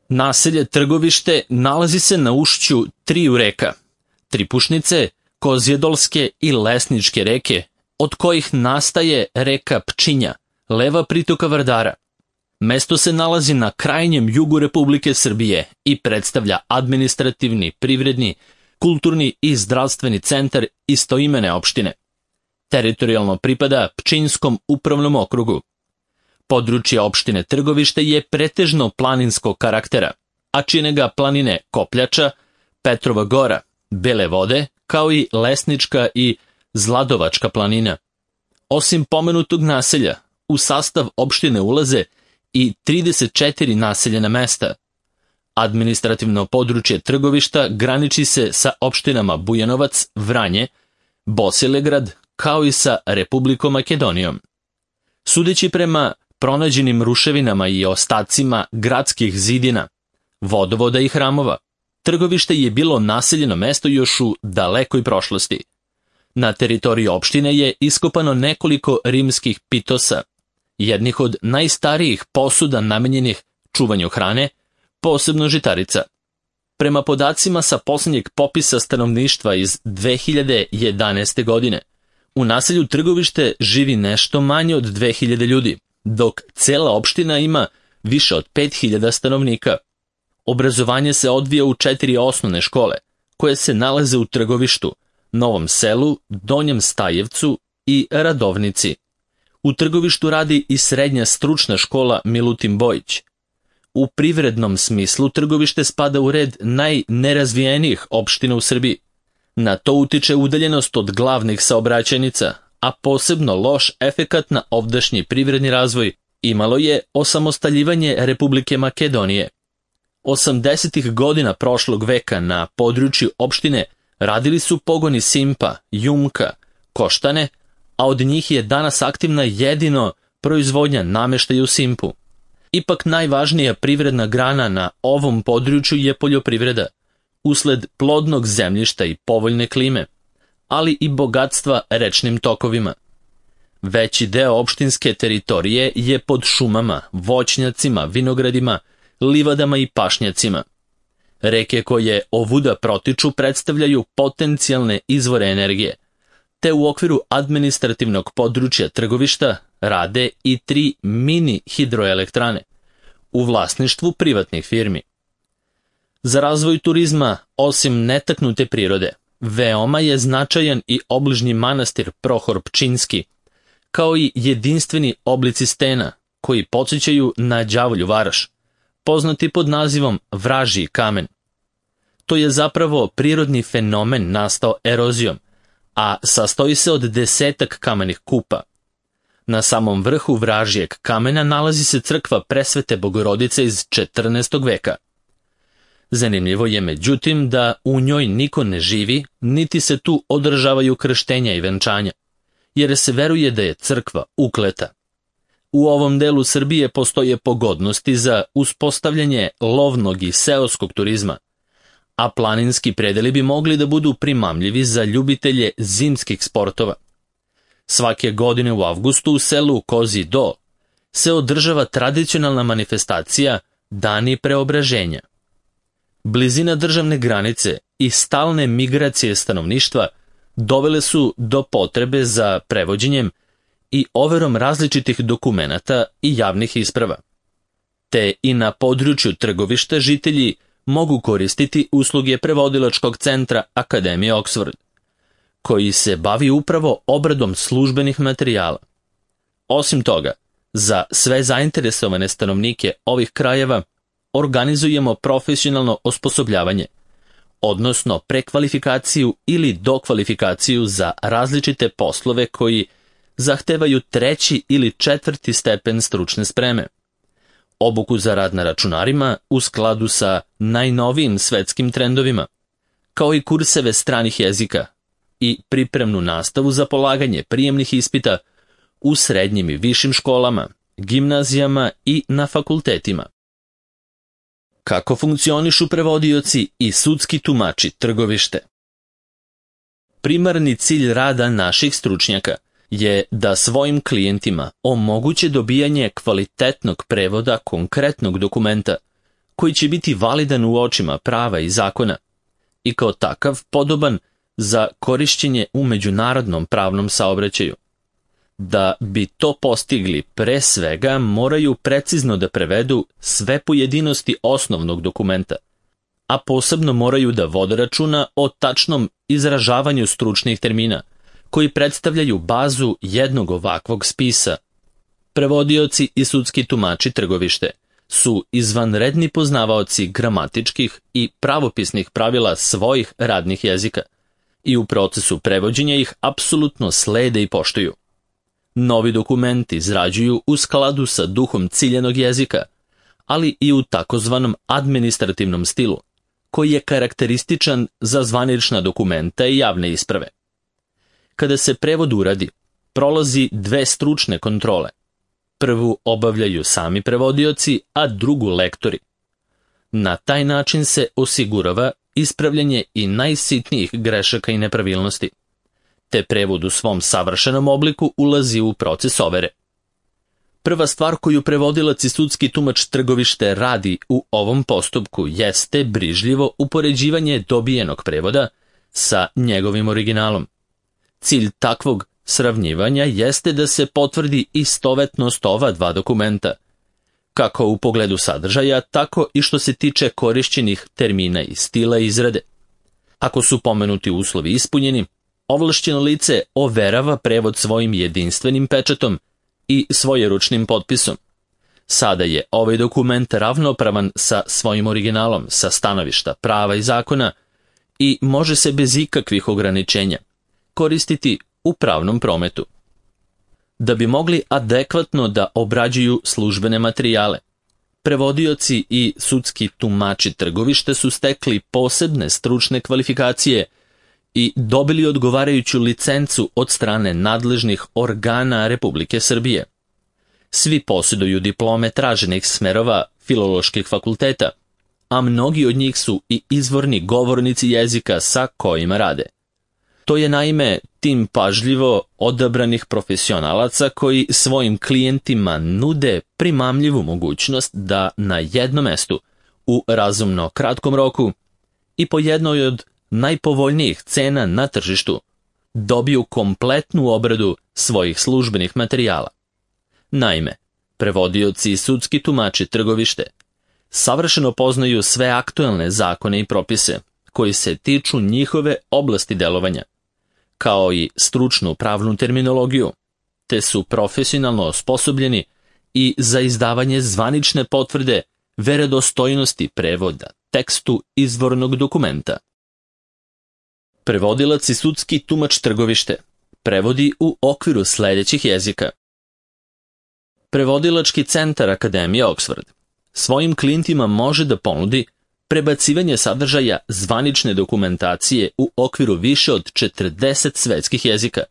Naselje Trgovište nalazi se na ušću triju reka, Tripušnice, Kozjedolske i Lesničke reke, od kojih nastaje reka Pčinja, leva pritoka Vardara. Mesto se nalazi na krajnjem jugu Republike Srbije i predstavlja administrativni, privredni, kulturni i zdravstveni centar istoimene opštine. Teritorijalno pripada Pčinjskom upravnom okrugu. Područje opštine Trgovište je pretežno planinskog karaktera, a čine ga planine Kopljača, Petrova Gora, Bele Vode, kao i Lesnička i Zladovačka planina. Osim pomenutog naselja, u sastav opštine ulaze i 34 naseljena mesta. Administrativno područje Trgovišta graniči se sa opštinama Bujanovac, Vranje, Bosilegrad, kao i sa Republikom Makedonijom. Sudeći prema pronađenim ruševinama i ostacima gradskih zidina, vodovoda i hramova, Trgovište je bilo naseljeno mesto još u dalekoj prošlosti. Na teritoriji opštine je iskopano nekoliko rimskih pitosa, jednih od najstarijih posuda namenjenih čuvanju hrane, posebno žitarica. Prema podacima sa posljednjeg popisa stanovništva iz 2011. godine, u naselju Trgovište živi nešto manje od 2000 ljudi, dok cela opština ima više od 5000 stanovnika. Obrazovanje se odvija u 4 osnovne škole, koje se nalaze u Trgovištu, Novom Selu, Donjem Stajevcu i Radovnici. U Trgovištu radi i srednja stručna škola Milutin Bojić. U privrednom smislu Trgovište spada u red najnerazvijenijih opština u Srbiji. Na to utiče udaljenost od glavnih saobraćajnica, a posebno loš efekat na ovdašnji privredni razvoj imalo je osamostaljivanje Republike Makedonije. 80. godina prošlog veka na području opštine radili su pogoni Simpa, Jumka, Koštane, a od njih je danas aktivna jedino proizvodnja nameštaja u Simpu. Ipak najvažnija privredna grana na ovom području je poljoprivreda, usled plodnog zemljišta i povoljne klime, ali i bogatstva rečnim tokovima. Veći deo opštinske teritorije je pod šumama, voćnjacima, vinogradima, livadama i pašnjacima. Reke koje ovuda protiču predstavljaju potencijalne izvore energije, te u okviru administrativnog područja Trgovišta rade i 3 mini hidroelektrane u vlasništvu privatnih firmi. Za razvoj turizma, osim netaknute prirode, veoma je značajan i obližnji manastir Prohor Pčinjski, kao i jedinstveni oblici stena koji podsjećaju na đavolju varoš, poznati pod nazivom Vražji kamen. To je zapravo prirodni fenomen nastao erozijom, a sastoji se od 10 kamenih kupa. Na samom vrhu Vražjeg kamena nalazi se crkva Presvete Bogorodice iz 14. veka. Zanimljivo je međutim da u njoj niko ne živi, niti se tu održavaju krštenja i venčanja, jer se veruje da je crkva ukleta. U ovom delu Srbije postoje pogodnosti za uspostavljanje lovnog i seoskog turizma, a planinski predeli bi mogli da budu primamljivi za ljubitelje zimskih sportova. Svake godine u avgustu u selu Kozji Do se održava tradicionalna manifestacija Dani preobraženja. Blizina državne granice i stalne migracije stanovništva dovele su do potrebe za prevođenjem i overom različitih dokumenata i javnih isprava. Te i na području Trgovišta žitelji mogu koristiti usluge prevodilačkog centra Akademije Oxford, koji se bavi upravo obradom službenih materijala. Osim toga, za sve zainteresovane stanovnike ovih krajeva organizujemo profesionalno osposobljavanje, odnosno prekvalifikaciju ili dokvalifikaciju za različite poslove koji zahtevaju 3. ili 4. stepen stručne spreme, obuku za rad na računarima u skladu sa najnovijim svetskim trendovima, kao i kurseve stranih jezika i pripremnu nastavu za polaganje prijemnih ispita u srednjim i višim školama, gimnazijama i na fakultetima. Kako funkcionišu prevodioci i sudski tumači Trgovište? Primarni cilj rada naših stručnjaka je da svojim klijentima omoguće dobijanje kvalitetnog prevoda konkretnog dokumenta koji će biti validan u očima prava i zakona i kao takav podoban za korišćenje u međunarodnom pravnom saobraćaju. Da bi to postigli, pre svega moraju precizno da prevedu sve pojedinosti osnovnog dokumenta, a posebno moraju da vode računa o tačnom izražavanju stručnih termina, koji predstavljaju bazu jednog ovakvog spisa. Prevodioci i sudski tumači trgovište su izvanredni poznavaoci gramatičkih i pravopisnih pravila svojih radnih jezika i u procesu prevođenja ih apsolutno slede i poštuju. Novi dokumenti izrađuju u skladu sa duhom ciljanog jezika, ali i u takozvanom administrativnom stilu, koji je karakterističan za zvanična dokumenta i javne isprave. Kada se prevod uradi, prolazi dve stručne kontrole. Prvu obavljaju sami prevodioci, a drugu lektori. Na taj način se osigurava ispravljanje i najsitnijih grešaka i nepravilnosti, te prevod u svom savršenom obliku ulazi u proces overe. Prva stvar koju prevodilac i sudski tumač trgovište radi u ovom postupku jeste brižljivo upoređivanje dobijenog prevoda sa njegovim originalom. Cilj takvog sravnjivanja jeste da se potvrdi istovetnost ova dva dokumenta, kako u pogledu sadržaja, tako i što se tiče korišćenih termina i stila izrade. Ako su pomenuti uslovi ispunjeni, ovlašćeno lice overava prevod svojim jedinstvenim pečatom i svojeručnim potpisom. Sada je ovaj dokument ravnopravan sa svojim originalom, sa stanovišta prava i zakona i može se bez ikakvih ograničenja koristiti u pravnom prometu. Da bi mogli adekvatno da obrađuju službene materijale, prevodioci i sudski tumači trgovište su stekli posebne stručne kvalifikacije i dobili odgovarajuću licencu od strane nadležnih organa Republike Srbije. Svi posjeduju diplome traženih smerova filoloških fakulteta, a mnogi od njih su i izvorni govornici jezika sa kojima rade. To je naime tim pažljivo odabranih profesionalaca koji svojim klijentima nude primamljivu mogućnost da na jednom mestu, u razumno kratkom roku i po jednoj od najpovoljnijih cena na tržištu, dobiju kompletnu obradu svojih službenih materijala. Naime, prevodioci i sudski tumači trgovište savršeno poznaju sve aktuelne zakone i propise koji se tiču njihove oblasti delovanja, kao i stručnu pravnu terminologiju, te su profesionalno osposobljeni i za izdavanje zvanične potvrde verodostojnosti prevoda tekstu izvornog dokumenta. Prevodilac i sudski tumač trgovište prevodi u okviru sledećih jezika. Prevodilački centar Akademije Oxford svojim klijentima može da ponudi prebacivanje sadržaja zvanične dokumentacije u okviru više od 40 svetskih jezika,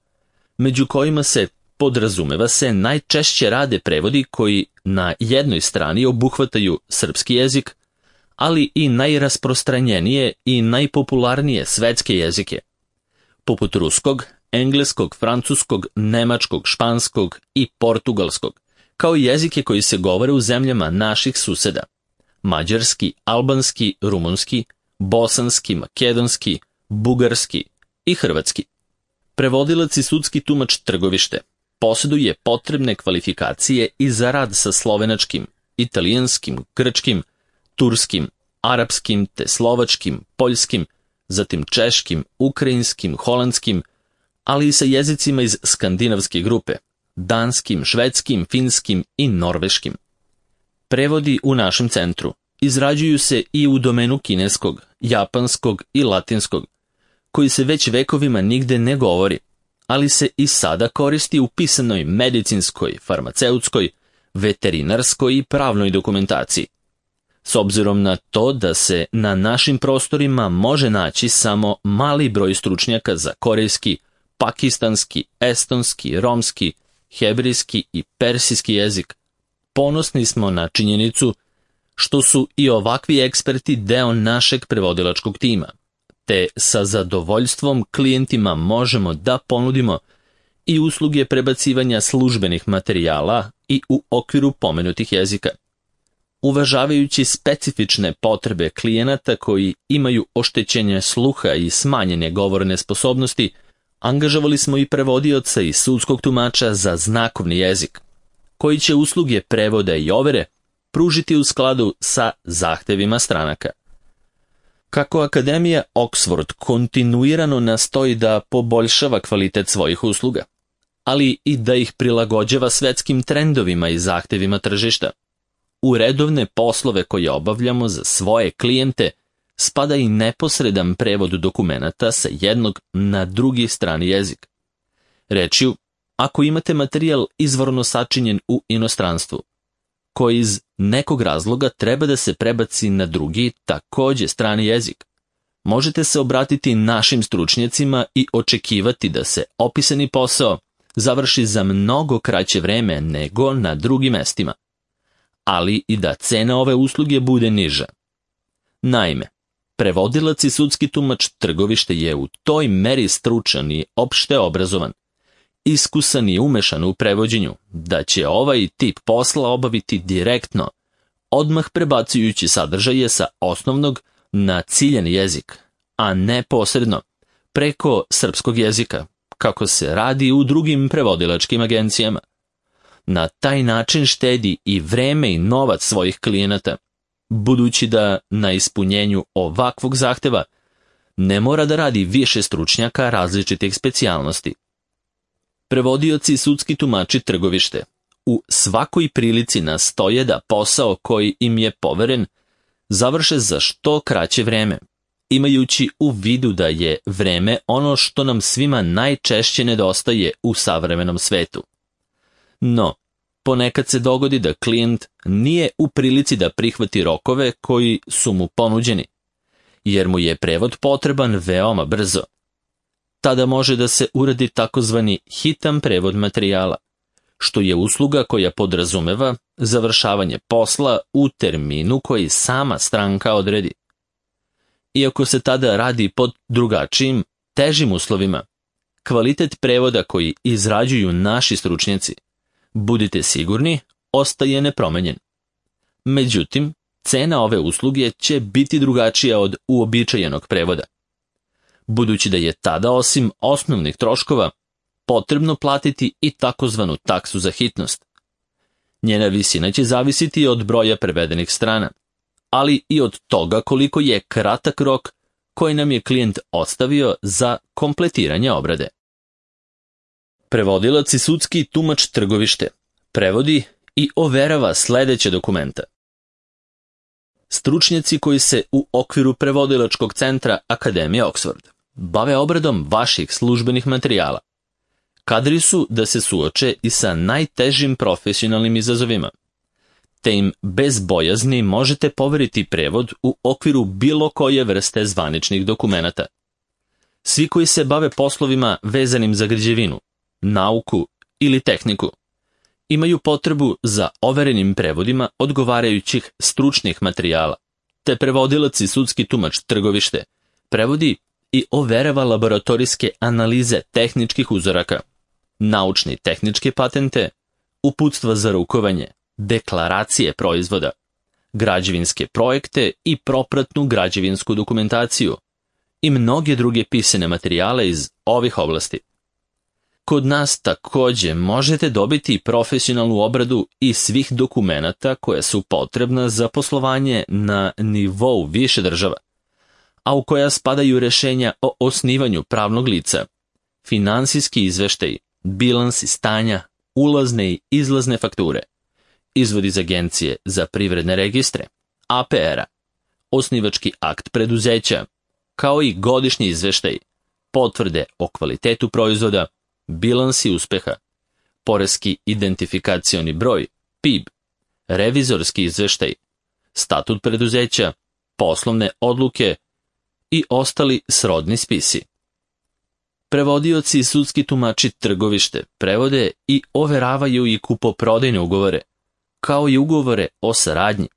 među kojima se, podrazumeva se, najčešće rade prevodi koji na jednoj strani obuhvataju srpski jezik, ali i najrasprostranjenije i najpopularnije svetske jezike, poput ruskog, engleskog, francuskog, nemačkog, španskog i portugalskog, kao i jezike koji se govore u zemljama naših suseda: mađarski, albanski, rumunski, bosanski, makedonski, bugarski i hrvatski. Prevodilac i sudski tumač trgovište posjeduje potrebne kvalifikacije i za rad sa slovenačkim, italijanskim, grčkim, turskim, arapskim te slovačkim, poljskim, zatim češkim, ukrajinskim, holandskim, ali i sa jezicima iz skandinavske grupe, danskim, švedskim, finskim i norveškim. Prevodi u našem centru izrađuju se i u domenu kineskog, japanskog i latinskog, koji se već vekovima nigde ne govori, ali se i sada koristi u pisanoj medicinskoj, farmaceutskoj, veterinarskoj i pravnoj dokumentaciji. S obzirom na to da se na našim prostorima može naći samo mali broj stručnjaka za korejski, pakistanski, estonski, romski, hebrejski i persijski jezik, ponosni smo na činjenicu što su i ovakvi eksperti deo našeg prevodilačkog tima, te sa zadovoljstvom klijentima možemo da ponudimo i usluge prebacivanja službenih materijala i u okviru pomenutih jezika. Uvažavajući specifične potrebe klijenata koji imaju oštećenje sluha i smanjene govorne sposobnosti, angažovali smo i prevodioca i sudskog tumača za znakovni jezik, koji će usluge prevoda i overe pružiti u skladu sa zahtevima stranaka. Kako Akademija Oxford kontinuirano nastoji da poboljšava kvalitet svojih usluga, ali i da ih prilagođava svetskim trendovima i zahtevima tržišta, u redovne poslove koje obavljamo za svoje klijente spada i neposredan prevod dokumenata sa jednog na drugi strani jezik. Rečju, ako imate materijal izvorno sačinjen u inostranstvu, koji iz nekog razloga treba da se prebaci na drugi, takođe strani jezik, možete se obratiti našim stručnjacima i očekivati da se opisani posao završi za mnogo kraće vreme nego na drugim mestima, ali i da cena ove usluge bude niža. Naime, prevodilac i sudski tumač trgovište je u toj meri stručan i opšte obrazovan, iskusan i umešan u prevođenju, da će ovaj tip posla obaviti direktno, odmah prebacujući sadržaje sa osnovnog na ciljani jezik, a ne posredno, preko srpskog jezika, kako se radi u drugim prevodilačkim agencijama. Na taj način štedi i vreme i novac svojih klijenata, budući da na ispunjenju ovakvog zahteva ne mora da radi više stručnjaka različitih specijalnosti. Prevodioci i sudski tumači trgovište u svakoj prilici nastoje da posao koji im je poveren završe za što kraće vreme, imajući u vidu da je vreme ono što nam svima najčešće nedostaje u savremenom svetu. No, ponekad se dogodi da klijent nije u prilici da prihvati rokove koji su mu ponuđeni, jer mu je prevod potreban veoma brzo. Tada može da se uradi takozvani hitan prevod materijala, što je usluga koja podrazumeva završavanje posla u terminu koji sama stranka odredi. Iako se tada radi pod drugačijim, težim uslovima, kvalitet prevoda koji izrađuju naši stručnjaci, budite sigurni, ostaje nepromenjen. Međutim, cena ove usluge će biti drugačija od uobičajenog prevoda, budući da je tada osim osnovnih troškova potrebno platiti i takozvanu taksu za hitnost. Njena visina će zavisiti od broja prevedenih strana, ali i od toga koliko je kratak rok koji nam je klijent ostavio za kompletiranje obrade. Prevodilac i sudski tumač trgovište prevodi i overava sledeće dokumenta. Stručnjaci koji se u okviru prevodilačkog centra Akademije Oxford bave obradom vaših službenih materijala. Kadri su da se suoče i sa najtežim profesionalnim izazovima, te im bez bojazni možete poveriti prevod u okviru bilo koje vrste zvaničnih dokumenata. Svi koji se bave poslovima vezanim za građevinu, nauku ili tehniku, imaju potrebu za overenim prevodima odgovarajućih stručnih materijala, te prevodilac i sudski tumač trgovište prevodi i overava laboratorijske analize tehničkih uzoraka, naučne i tehničke patente, uputstva za rukovanje, deklaracije proizvoda, građevinske projekte i propratnu građevinsku dokumentaciju i mnoge druge pisane materijale iz ovih oblasti. Kod nas takođe možete dobiti profesionalnu obradu i svih dokumenata koja su potrebna za poslovanje na nivou više država, a u koja spadaju rešenja o osnivanju pravnog lica, finansijski izveštaji, bilansi stanja, ulazne i izlazne fakture, izvod iz agencije za privredne registre, APR-a, osnivački akt preduzeća, kao i godišnji izveštaj, potvrde o kvalitetu proizvoda, bilansi uspeha, poreski identifikacioni broj, PIB, revizorski izveštaj, statut preduzeća, poslovne odluke i ostali srodni spisi. Prevodioci i sudski tumači trgovište prevode i overavaju i kupoprodajne ugovore, kao i ugovore o saradnji,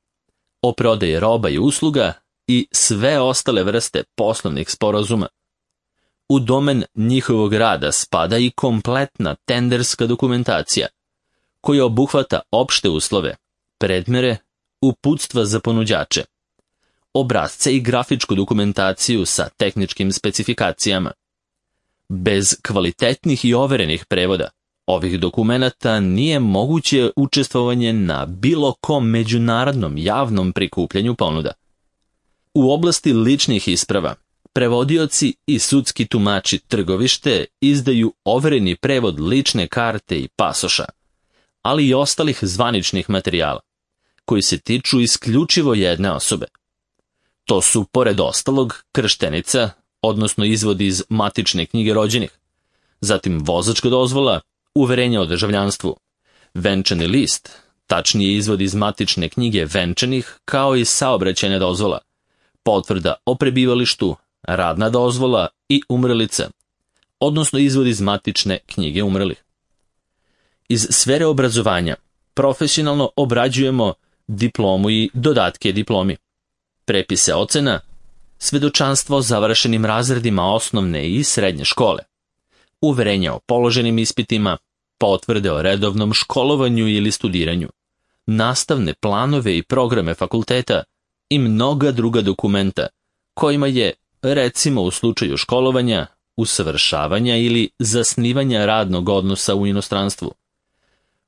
o prodaji roba i usluga i sve ostale vrste poslovnih sporazuma. U domen njihovog rada spada i kompletna tenderska dokumentacija, koja obuhvata opšte uslove, predmere, uputstva za ponuđače, obrasce i grafičku dokumentaciju sa tehničkim specifikacijama. Bez kvalitetnih i overenih prevoda ovih dokumenata nije moguće učestvovanje na bilo kom međunarodnom javnom prikupljanju ponuda. U oblasti ličnih isprava, prevodioci i sudski tumači trgovište izdaju overeni prevod lične karte i pasoša, ali i ostalih zvaničnih materijala, koji se tiču isključivo jedne osobe. To su, pored ostalog, krštenica, odnosno izvod iz matične knjige rođenih, zatim vozačka dozvola, uverenja o državljanstvu, venčani list, tačnije izvod iz matične knjige venčanih, kao i saobraćajna dozvola, potvrda o prebivalištu, radna dozvola i umrlica, odnosno izvod iz matične knjige umrlih. Iz sfere obrazovanja profesionalno obrađujemo diplomu i dodatke diplomi, prepise ocena, svedočanstvo o završenim razredima osnovne i srednje škole, uverenja o položenim ispitima, potvrde o redovnom školovanju ili studiranju, nastavne planove i programe fakulteta i mnoga druga dokumenta kojima je, recimo u slučaju školovanja, usavršavanja ili zasnivanja radnog odnosa u inostranstvu,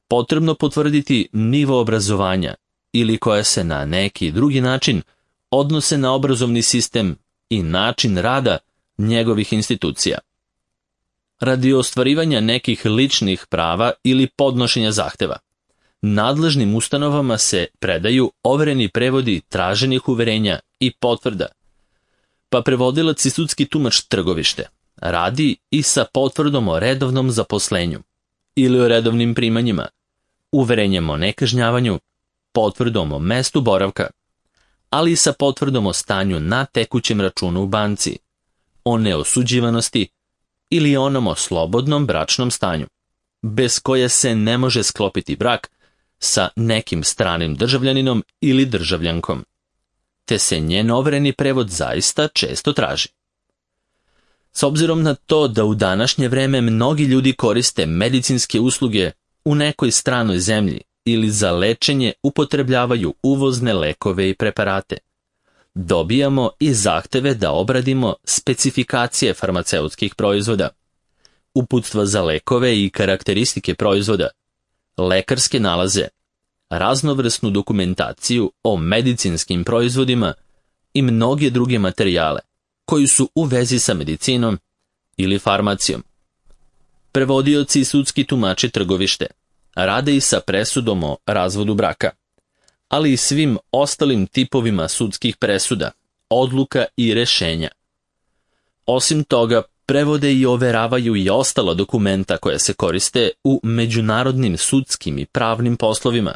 potrebno potvrditi nivo obrazovanja ili koja se na neki drugi način odnose na obrazovni sistem i način rada njegovih institucija. Radi ostvarivanja nekih ličnih prava ili podnošenja zahteva, nadležnim ustanovama se predaju overeni prevodi traženih uverenja i potvrda, pa prevodilac i sudski tumač trgovište radi i sa potvrdom o redovnom zaposlenju ili o redovnim primanjima, uverenjem o nekažnjavanju, potvrdom o mestu boravka, ali i sa potvrdom o stanju na tekućem računu u banci, o neosuđivanosti ili onom o slobodnom bračnom stanju, bez koje se ne može sklopiti brak sa nekim stranim državljaninom ili državljankom, te se njen overeni prevod zaista često traži. S obzirom na to da u današnje vreme mnogi ljudi koriste medicinske usluge u nekoj stranoj zemlji ili za lečenje upotrebljavaju uvozne lekove i preparate, dobijamo i zahteve da obradimo specifikacije farmaceutskih proizvoda, uputstva za lekove i karakteristike proizvoda, lekarske nalaze, raznovrsnu dokumentaciju o medicinskim proizvodima i mnoge druge materijale koji su u vezi sa medicinom ili farmacijom. Prevodioci i sudski tumači trgovište rade i sa presudom o razvodu braka, ali i svim ostalim tipovima sudskih presuda, odluka i rešenja. Osim toga, prevode i overavaju i ostala dokumenta koja se koriste u međunarodnim sudskim i pravnim poslovima,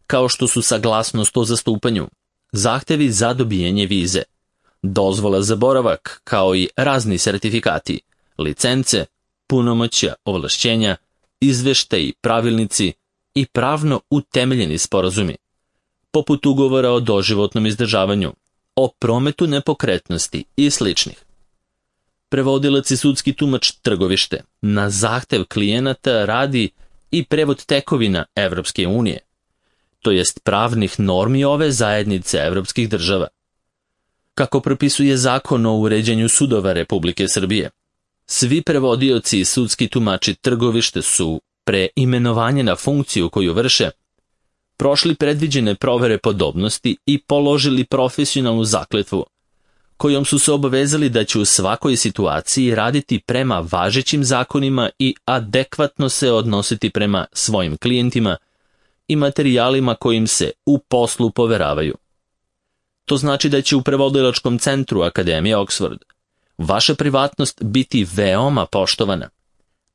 kao što su saglasnost o zastupanju, zahtevi za dobijanje vize, dozvola za boravak, kao i razni sertifikati, licence, punomoćja, ovlašćenja, izveštaji, pravilnici i pravno utemeljeni sporazumi, poput ugovora o doživotnom izdržavanju, o prometu nepokretnosti i sličnih. Prevodilac i sudski tumač trgovište na zahtev klijenata radi i prevod tekovina Evropske unije, to jest pravnih normi ove zajednice evropskih država. Kako propisuje Zakon o uređenju sudova Republike Srbije, svi prevodioci i sudski tumači trgovište su, pre imenovanja na funkciju koju vrše, prošli predviđene provere podobnosti i položili profesionalnu zakletvu, kojom su se obavezali da će u svakoj situaciji raditi prema važećim zakonima i adekvatno se odnositi prema svojim klijentima i materijalima kojim se u poslu poveravaju. To znači da će u prevodilačkom centru Akademije Oxford vaša privatnost biti veoma poštovana,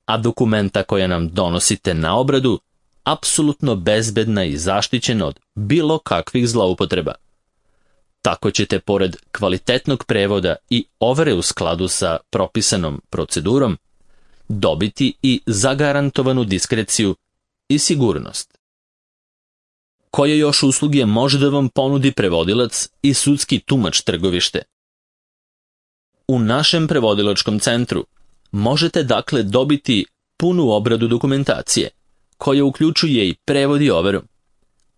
a dokumenta koja nam donosite na obradu apsolutno bezbedna i zaštićena od bilo kakvih zloupotreba. Tako ćete, pored kvalitetnog prevoda i overe u skladu sa propisanom procedurom, dobiti i zagarantovanu diskreciju i sigurnost. Koje još usluge može da vam ponudi prevodilac i sudski tumač trgovište? U našem prevodilačkom centru možete dakle dobiti punu obradu dokumentacije, koja uključuje i prevod i overu,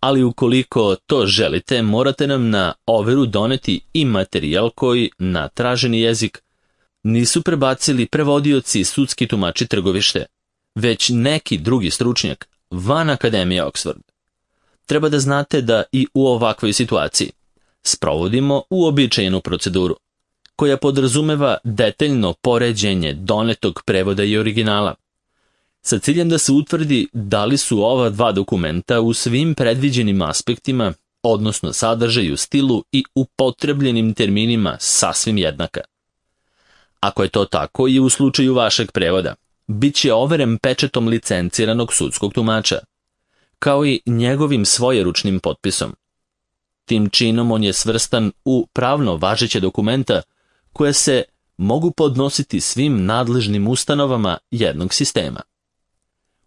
ali ukoliko to želite, morate nam na overu doneti i materijal koji na traženi jezik nisu prebacili prevodioci i sudski tumači Trgovište, već neki drugi stručnjak van Akademije Oxford. Treba da znate da i u ovakvoj situaciji sprovodimo uobičajenu proceduru, koja podrazumeva detaljno poređenje donetog prevoda i originala, sa ciljem da se utvrdi da li su ova dva dokumenta u svim predviđenim aspektima, odnosno sadržaju, stilu i upotrebljenim terminima sasvim jednaka. Ako je to tako i u slučaju vašeg prevoda, bit će overen pečatom licenciranog sudskog tumača, kao i njegovim svojeručnim potpisom. Tim činom on je svrstan u pravno važeće dokumenta koje se mogu podnositi svim nadležnim ustanovama jednog sistema.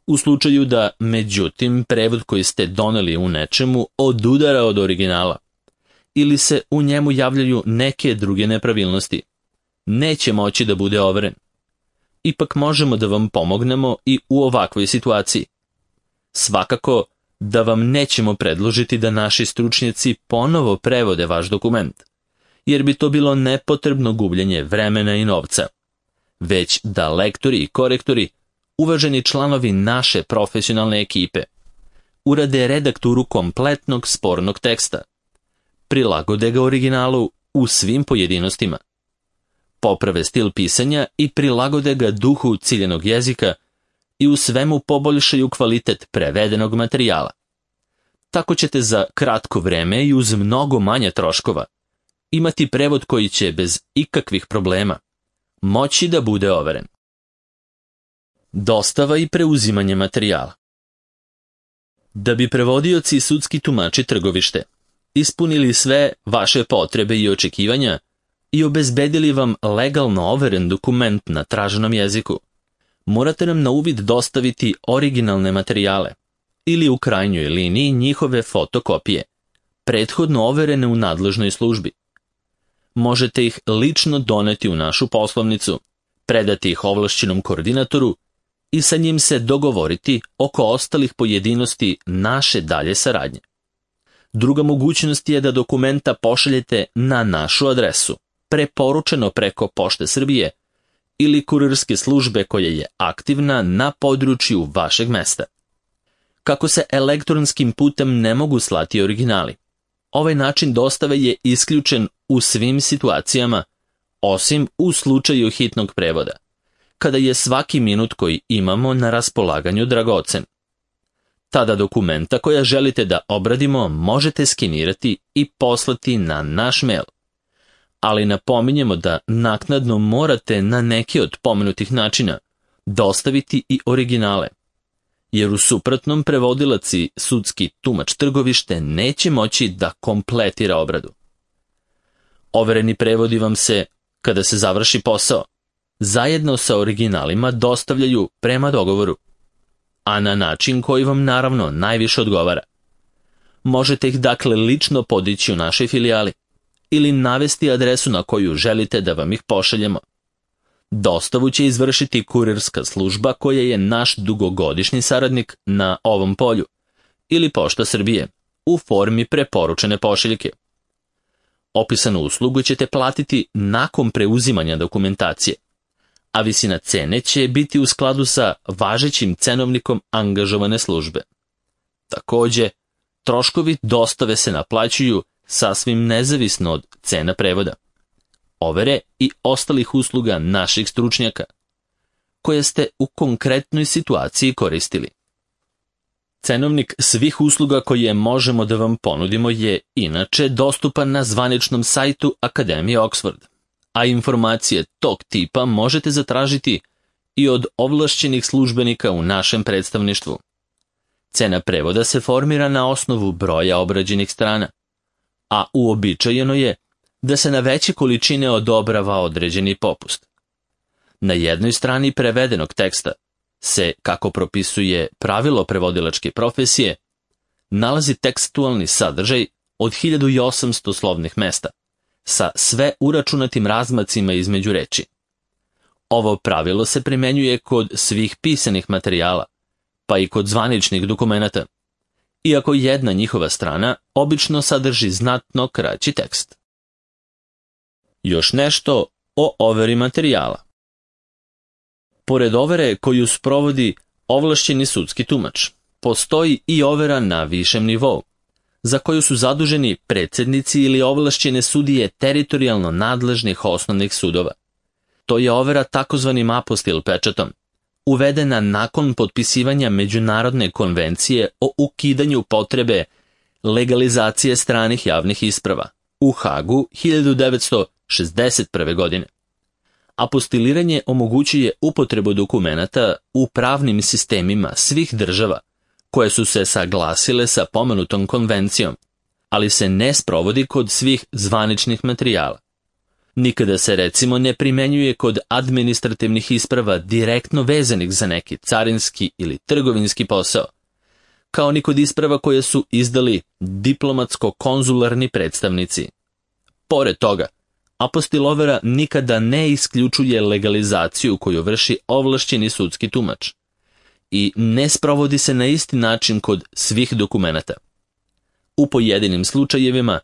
U slučaju da, međutim, prevod koji ste doneli u nečemu odudara od originala ili se u njemu javljaju neke druge nepravilnosti, neće moći da bude overen. Ipak možemo da vam pomognemo i u ovakvoj situaciji. Svakako da vam nećemo predložiti da naši stručnjaci ponovo prevode vaš dokument, jer bi to bilo nepotrebno gubljenje vremena i novca, već da lektori i korektori, uvaženi članovi naše profesionalne ekipe, urade redakturu kompletnog spornog teksta, prilagode ga originalu u svim pojedinostima, poprave stil pisanja i prilagode ga duhu ciljenog jezika i u svemu poboljšaju kvalitet prevedenog materijala. Tako ćete za kratko vreme i uz mnogo manje troškova imati prevod koji će bez ikakvih problema moći da bude overen. Dostava i preuzimanje materijala. Da bi prevodioci i sudski tumači Trgovište ispunili sve vaše potrebe i očekivanja i obezbedili vam legalno overen dokument na traženom jeziku, morate nam na uvid dostaviti originalne materijale ili u krajnjoj liniji njihove fotokopije, prethodno overene u nadležnoj službi. Možete ih lično doneti u našu poslovnicu, predati ih ovlašćenom koordinatoru i sa njim se dogovoriti oko ostalih pojedinosti naše dalje saradnje. Druga mogućnost je da dokumenta pošaljete na našu adresu, preporučeno preko Pošte Srbije ili kurirske službe koja je aktivna na području vašeg mesta. Kako se elektronskim putem ne mogu slati originali, ovaj način dostave je isključen u svim situacijama, osim u slučaju hitnog prevoda, kada je svaki minut koji imamo na raspolaganju dragocen. Tada dokumenta koja želite da obradimo možete skenirati i poslati na naš mail. Ali napominjemo da naknadno morate na neki od pomenutih načina dostaviti i originale, jer u suprotnom prevodilac i sudski tumač Trgovište neće moći da kompletira obradu. Overeni prevodi vam se, kada se završi posao, zajedno sa originalima dostavljaju prema dogovoru, a na način koji vam naravno najviše odgovara. Možete ih dakle lično podići u našoj filijali ili navesti adresu na koju želite da vam ih pošaljemo. Dostavu će izvršiti kurirska služba koja je naš dugogodišnji saradnik na ovom polju ili Pošta Srbije u formi preporučene pošiljke. Opisanu uslugu ćete platiti nakon preuzimanja dokumentacije, a visina cene će biti u skladu sa važećim cenovnikom angažovane službe. Također, troškovi dostave se naplaćuju sasvim nezavisno od cena prevoda, overe i ostalih usluga naših stručnjaka, koje ste u konkretnoj situaciji koristili. Cenovnik svih usluga koje možemo da vam ponudimo je inače dostupan na zvaničnom sajtu Akademije Oxford, a informacije tog tipa možete zatražiti i od ovlašćenih službenika u našem predstavništvu. Cena prevoda se formira na osnovu broja obrađenih strana, a uobičajeno je da se na veće količine odobrava određeni popust. Na jednoj strani prevedenog teksta se, kako propisuje pravilo prevodilačke profesije, nalazi tekstualni sadržaj od 1800 slovnih mesta, sa sve uračunatim razmacima između reči. Ovo pravilo se primenjuje kod svih pisanih materijala, pa i kod zvaničnih dokumenata, iako jedna njihova strana obično sadrži znatno kraći tekst. Još nešto o overi materijala. Pored overe koju sprovodi ovlašćeni sudski tumač, postoji i overa na višem nivou, za koju su zaduženi predsjednici ili ovlašćene sudije teritorijalno nadležnih osnovnih sudova. To je overa takozvanim apostil pečatom, uvedena nakon potpisivanja Međunarodne konvencije o ukidanju potrebe legalizacije stranih javnih isprava u Hagu 1961. godine. Apostiliranje omogućuje upotrebu dokumenata u pravnim sistemima svih država koje su se saglasile sa pomenutom konvencijom, ali se ne sprovodi kod svih zvaničnih materijala. Nikada se recimo ne primenjuje kod administrativnih isprava direktno vezanih za neki carinski ili trgovinski posao, kao ni kod isprava koje su izdali diplomatsko-konzularni predstavnici. Pored toga, apostilovera nikada ne isključuje legalizaciju koju vrši ovlašćeni sudski tumač i ne sprovodi se na isti način kod svih dokumenata. U pojedinim slučajevima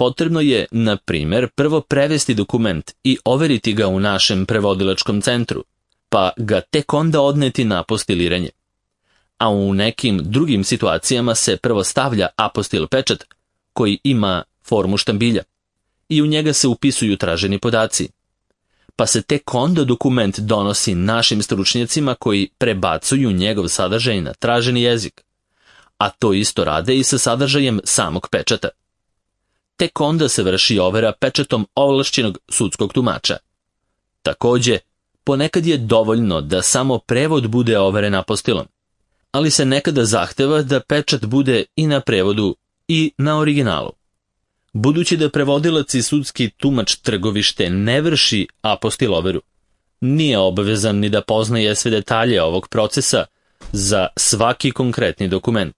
potrebno je, na primjer, prvo prevesti dokument i overiti ga u našem prevodilačkom centru, pa ga tek onda odneti na apostiliranje. A u nekim drugim situacijama se prvo stavlja apostil pečat koji ima formu štambilja i u njega se upisuju traženi podaci. Pa se tek onda dokument donosi našim stručnjacima koji prebacuju njegov sadržaj na traženi jezik, a to isto rade i sa sadržajem samog pečata. Tek onda se vrši overa pečatom ovlašćenog sudskog tumača. Također, ponekad je dovoljno da samo prevod bude overen apostilom, ali se nekada zahteva da pečat bude i na prevodu i na originalu. Budući da prevodilac i sudski tumač trgovište ne vrši apostiloveru, nije obavezan ni da poznaje sve detalje ovog procesa za svaki konkretni dokument.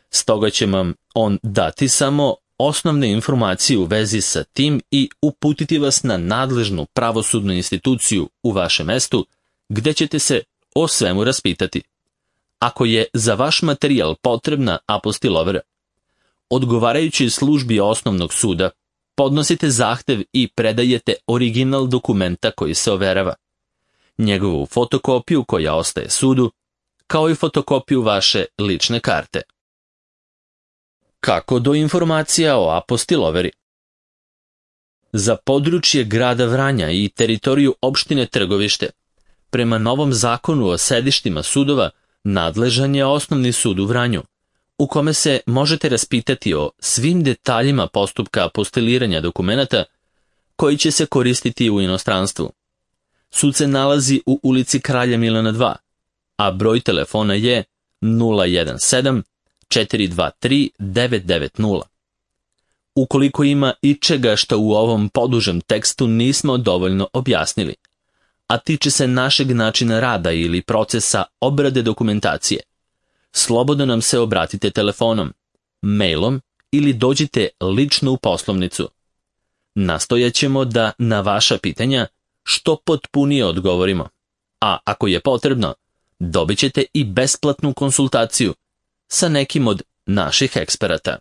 Stoga će vam on dati samo osnovne informacije u vezi sa tim i uputiti vas na nadležnu pravosudnu instituciju u vašem mestu, gdje ćete se o svemu raspitati. Ako je za vaš materijal potrebna apostilovera, odgovarajući službi osnovnog suda, podnosite zahtev i predajete original dokumenta koji se overava, njegovu fotokopiju koja ostaje sudu, kao i fotokopiju vaše lične karte. Kako do informacija o apostiloveri? Za područje grada Vranja i teritoriju opštine Trgovište, prema novom zakonu o sedištima sudova, nadležan je osnovni sud u Vranju, u kome se možete raspitati o svim detaljima postupka apostiliranja dokumenata koji će se koristiti u inostranstvu. Sud se nalazi u ulici Kralja Milana 2, a broj telefona je 017 423 990. Ukoliko ima ičega što u ovom podužem tekstu nismo dovoljno objasnili, a tiče se našeg načina rada ili procesa obrade dokumentacije, slobodno nam se obratite telefonom, mailom ili dođite lično u poslovnicu. Nastojat ćemo da na vaša pitanja što potpunije odgovorimo, a ako je potrebno, dobit ćete i besplatnu konsultaciju sa nekim od naših eksperata.